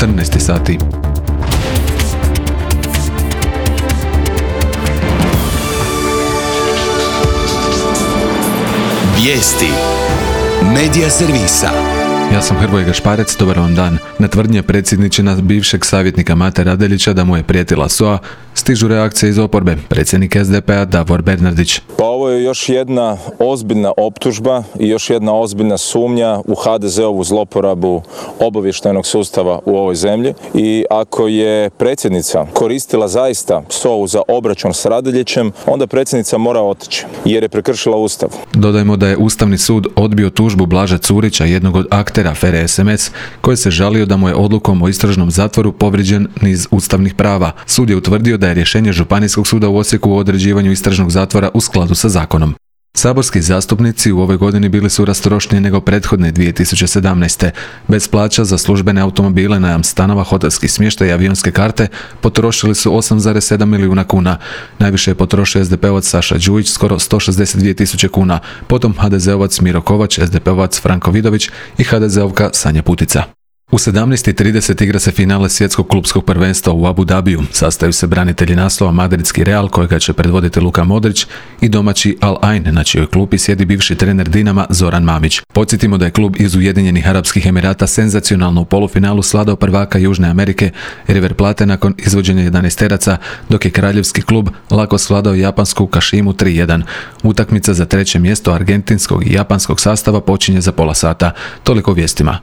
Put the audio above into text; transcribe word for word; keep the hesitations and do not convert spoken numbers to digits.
četrnaest sati. Vijesti Medija servisa. Ja sam Hrvoje Gašparec, dobar vam dan. Na tvrdnje predsjedničina bivšeg savjetnika Mate Radeljića da mu je prijetila S O A, stižu reakcije iz oporbe. Predsjednik S D P-a Davor Bernardić. Pa ovo je još jedna ozbiljna optužba i još jedna ozbiljna sumnja u ha de ze ovu zloporabu obavještajnog sustava u ovoj zemlji. I ako je predsjednica koristila zaista S O A-u za obračun s Radeljićem, onda predsjednica mora otići jer je prekršila Ustav. Dodajmo da je Ustavni sud odbio tužbu Blaža Curića, jednog od aktera afere es em es, koji se žalio da mu je odlukom o istražnom zatvoru povrijeđen niz ustavnih prava. Sud je utvrdio da je rješenje Županijskog suda u Osijeku o određivanju istražnog zatvora u skladu sa zakonom. Saborski zastupnici u ovoj godini bili su rastrošniji nego prethodne dvije tisuće sedamnaeste. Bez plaća za službene automobile, najam stanova, hotelski smještaj i avionske karte potrošili su osam zarez sedam milijuna kuna. Najviše je potrošio es de pe-ovac Saša Đujić, skoro sto šezdeset dvije tisuće kuna, potom ha de ze-ovac Miro Kovač, es de pe-ovac Franko Vidović i ha de ze-ovka Sanja Putica. U sedamnaest i trideset igra se finale svjetskog klupskog prvenstva u Abu Dhabiju. Sastaju se branitelji naslova madridski Real, kojega će predvoditi Luka Modrić, i domaći Al Ain, na čijoj klupi sjedi bivši trener Dinama Zoran Mamić. Podsjetimo da je klub iz Ujedinjenih Arapskih Emirata senzacionalno u polufinalu svladao prvaka Južne Amerike River Plate nakon izvođenja jedanaesteraca, dok je kraljevski klub lako svladao japansku Kashimu tri jedan. Utakmica za treće mjesto argentinskog i japanskog sastava počinje za pola sata. Toliko o vijestima.